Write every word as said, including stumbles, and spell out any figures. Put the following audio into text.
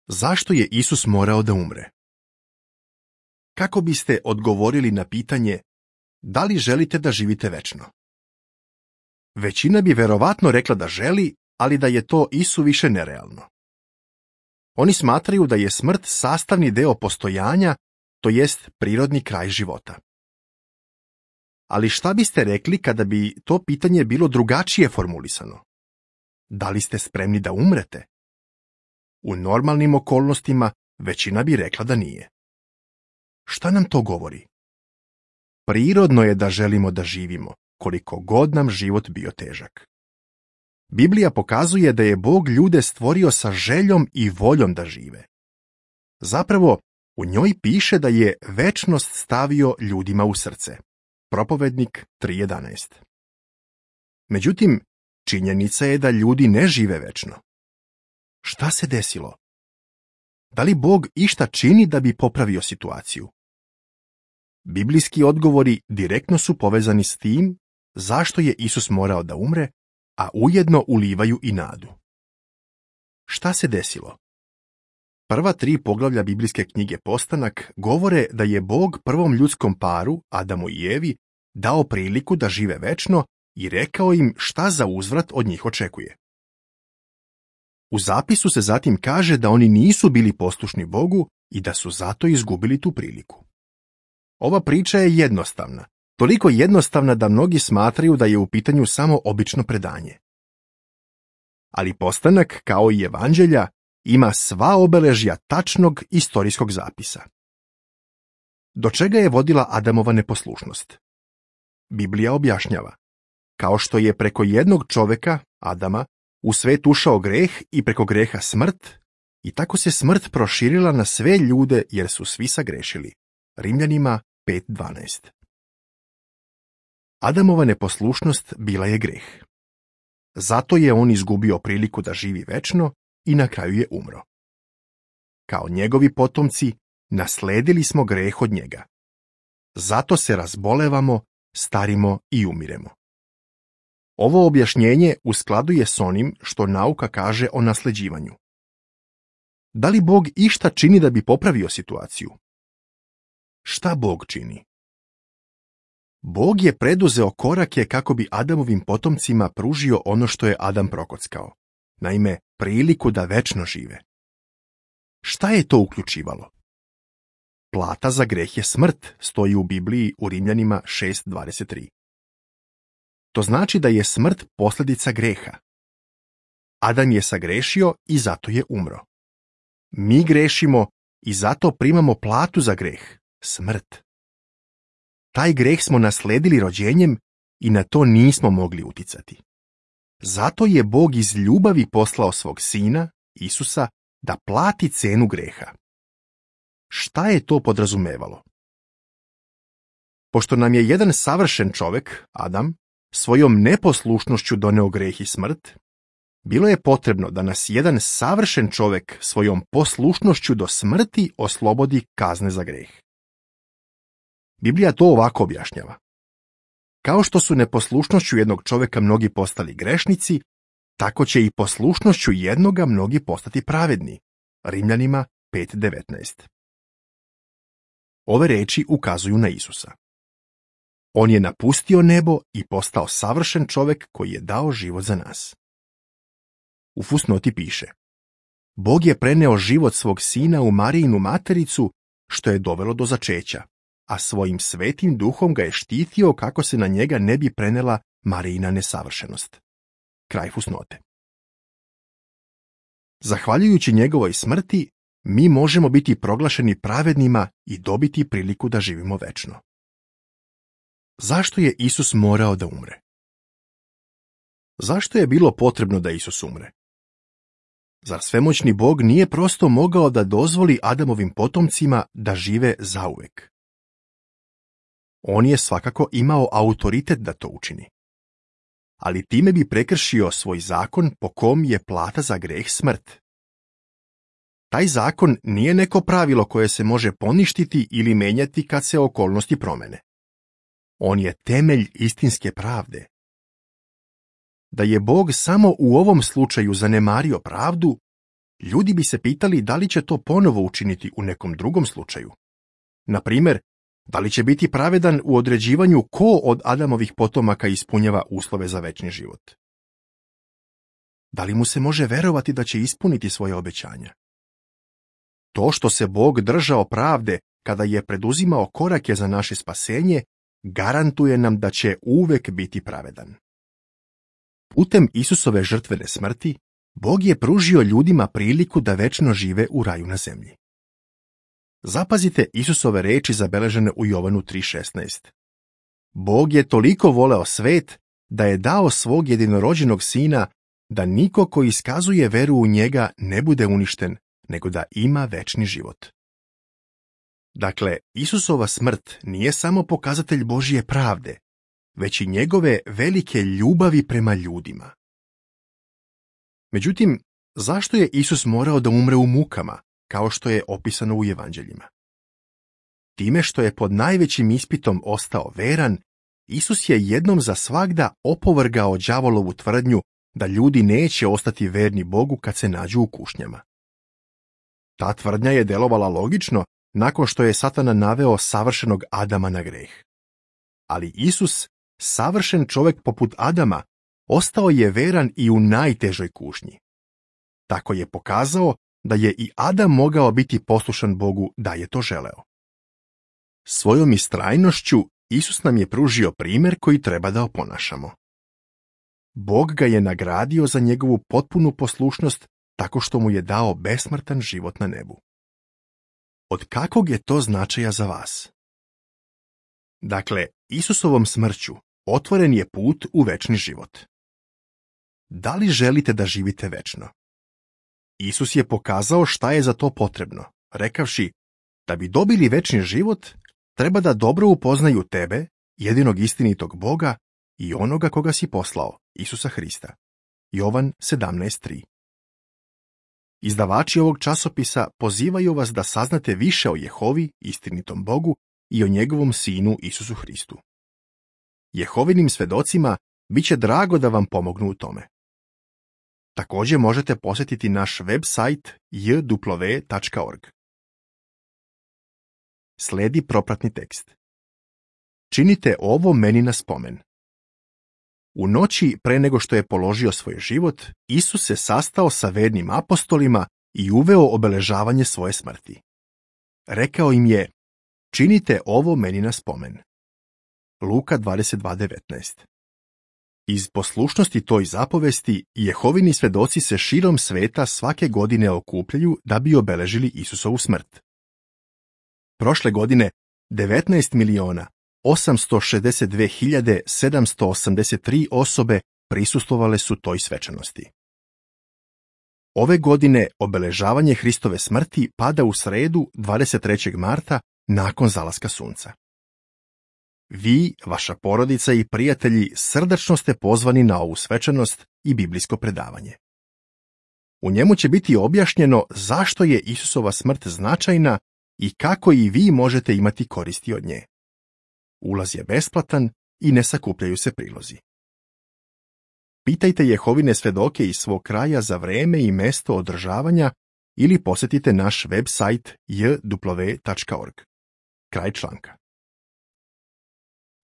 Zašto je Isus morao da umre? Kako biste odgovorili na pitanje da li želite da živite večno? Većina bi verovatno rekla da želi, ali da je to isuviše nerealno. Oni smatraju da je smrt sastavni deo postojanja, to jest prirodni kraj života. Ali šta biste rekli kada bi to pitanje bilo drugačije formulisano? Da li ste spremni da umrete? U normalnim okolnostima većina bi rekla da nije. Šta nam to govori? Prirodno je da želimo da živimo, koliko god nam život bio težak. Biblija pokazuje da je Bog ljude stvorio sa željom i voljom da žive. Zapravo, u njoj piše da je večnost stavio ljudima u srce. Propovednik tri jedanaest. Međutim, činjenica je da ljudi ne žive večno. Šta se desilo? Da li Bog išta čini da bi popravio situaciju? Biblijski odgovori direktno su povezani s tim zašto je Isus morao da umre, a ujedno ulivaju i nadu. Šta se desilo? Prva tri poglavlja biblijske knjige Postanak govore da je Bog prvom ljudskom paru, Adamu i Evi, dao priliku da žive večno i rekao im šta za uzvrat od njih očekuje. U zapisu se zatim kaže da oni nisu bili poslušni Bogu i da su zato izgubili tu priliku. Ova priča je jednostavna, toliko jednostavna da mnogi smatraju da je u pitanju samo obično predanje. Ali Postanak, kao i Evanđelja, ima sva obeležja tačnog istorijskog zapisa. Do čega je vodila Adamova neposlušnost? Biblija objašnjava, kao što je preko jednog čoveka, Adama, u svet ušao greh i preko greha smrt, i tako se smrt proširila na sve ljude jer su svi sagrešili. Rimljanima pet dvanaest. Adamova neposlušnost bila je greh. Zato je on izgubio priliku da živi večno i na kraju je umro. Kao njegovi potomci, nasledili smo greh od njega. Zato se razbolevamo, starimo i umiremo. Ovo objašnjenje u skladu je s onim što nauka kaže o nasleđivanju. Da li Bog išta čini da bi popravio situaciju? Šta Bog čini? Bog je preduzeo korake kako bi Adamovim potomcima pružio ono što je Adam prokockao, naime, priliku da večno žive. Šta je to uključivalo? Plata za greh je smrt, stoji u Bibliji u Rimljanima šest dvadeset tri. To znači da je smrt posljedica greha. Adam je sagrešio i zato je umro. Mi grešimo i zato primamo platu za greh, smrt. Taj greh smo nasledili rođenjem i na to nismo mogli uticati. Zato je Bog iz ljubavi poslao svog sina, Isusa, da plati cenu greha. Šta je to podrazumevalo? Pošto nam je jedan savršen čovjek, Adam, svojom neposlušnošću doneo greh i smrt, bilo je potrebno da nas jedan savršen čovjek svojom poslušnošću do smrti oslobodi kazne za greh. Biblija to ovako objašnjava. Kao što su neposlušnošću jednog čovjeka mnogi postali grešnici, tako će i poslušnošću jednoga mnogi postati pravedni. Rimljanima pet devetnaest. Ove reči ukazuju na Isusa. On je napustio nebo i postao savršen čovjek koji je dao život za nas. U fusnoti piše: Bog je preneo život svog sina u Marijinu matericu, što je dovelo do začeća, a svojim svetim duhom ga je štitio kako se na njega ne bi prenela Marijina nesavršenost. Kraj fusnote. Zahvaljujući njegovoj smrti, mi možemo biti proglašeni pravednima i dobiti priliku da živimo večno. Zašto je Isus morao da umre? Zašto je bilo potrebno da Isus umre? Zar svemoćni Bog nije prosto mogao da dozvoli Adamovim potomcima da žive zauvek? On je svakako imao autoritet da to učini. Ali time bi prekršio svoj zakon po kom je plata za greh smrt. Taj zakon nije neko pravilo koje se može poništiti ili menjati kad se okolnosti promene. On je temelj istinske pravde. Da je Bog samo u ovom slučaju zanemario pravdu, ljudi bi se pitali da li će to ponovo učiniti u nekom drugom slučaju. Na primjer, da li će biti pravedan u određivanju ko od Adamovih potomaka ispunjava uslove za večni život? Da li mu se može verovati da će ispuniti svoje obećanja? To što se Bog držao pravde kada je preduzimao korake za naše spasenje, garantuje nam da će uvek biti pravedan. Putem Isusove žrtvene smrti, Bog je pružio ljudima priliku da večno žive u raju na zemlji. Zapazite Isusove reči zabeležene u Jovanu tri šesnaest. Bog je toliko voleo svet da je dao svog jedinorođenog sina da niko ko iskazuje veru u njega ne bude uništen, nego da ima večni život. Dakle, Isusova smrt nije samo pokazatelj Božje pravde, već i njegove velike ljubavi prema ljudima. Međutim, zašto je Isus morao da umre u mukama, kao što je opisano u evanđeljima? Time što je pod najvećim ispitom ostao veran, Isus je jednom za svagda opovrgao đavolovu tvrdnju da ljudi neće ostati verni Bogu kad se nađu u kušnjama. Ta tvrdnja je delovala logično nakon što je Satana naveo savršenog Adama na greh. Ali Isus, savršen čovjek poput Adama, ostao je veran i u najtežoj kušnji. Tako je pokazao da je i Adam mogao biti poslušan Bogu da je to želeo. Svojom istrajnošću Isus nam je pružio primjer koji treba da oponašamo. Bog ga je nagradio za njegovu potpunu poslušnost tako što mu je dao besmrtan život na nebu. Od kakvog je to značaja za vas? Dakle, Isusovom smrću otvoren je put u večni život. Da li želite da živite večno? Isus je pokazao šta je za to potrebno, rekavši da bi dobili večni život, treba da dobro upoznaju tebe, jedinog istinitog Boga i onoga koga si poslao, Isusa Hrista. Jovan sedamnaest tri. Izdavači ovog časopisa pozivaju vas da saznate više o Jehovi, istinitom Bogu, i o njegovom sinu Isusu Hristu. Jehovinim svedocima bit će drago da vam pomognu u tome. Također možete posjetiti naš web sajt j w tačka org. Sledi propratni tekst. Činite ovo meni na spomen. U noći pre nego što je položio svoj život, Isus se sastao sa vernim apostolima i uveo obeležavanje svoje smrti. Rekao im je, činite ovo meni na spomen. Luka dvadeset dva devetnaest. Iz poslušnosti toj zapovesti, Jehovini svedoci se širom sveta svake godine okupljaju da bi obeležili Isusovu smrt. Prošle godine devetnaest miliona osamsto šezdeset dve hiljade sedamsto osamdeset tri osobe prisustvovale su toj svečanosti. Ove godine obeležavanje Hristove smrti pada u sredu dvadeset trećeg marta nakon zalaska sunca. Vi, vaša porodica i prijatelji srdačno ste pozvani na ovu svečanost i biblijsko predavanje. U njemu će biti objašnjeno zašto je Isusova smrt značajna i kako i vi možete imati koristi od nje. Ulaz je besplatan i ne sakupljaju se prilozi. Pitajte Jehovine svedoke iz svog kraja za vreme i mesto održavanja ili posjetite naš web sajt j w tačka org. Kraj članka.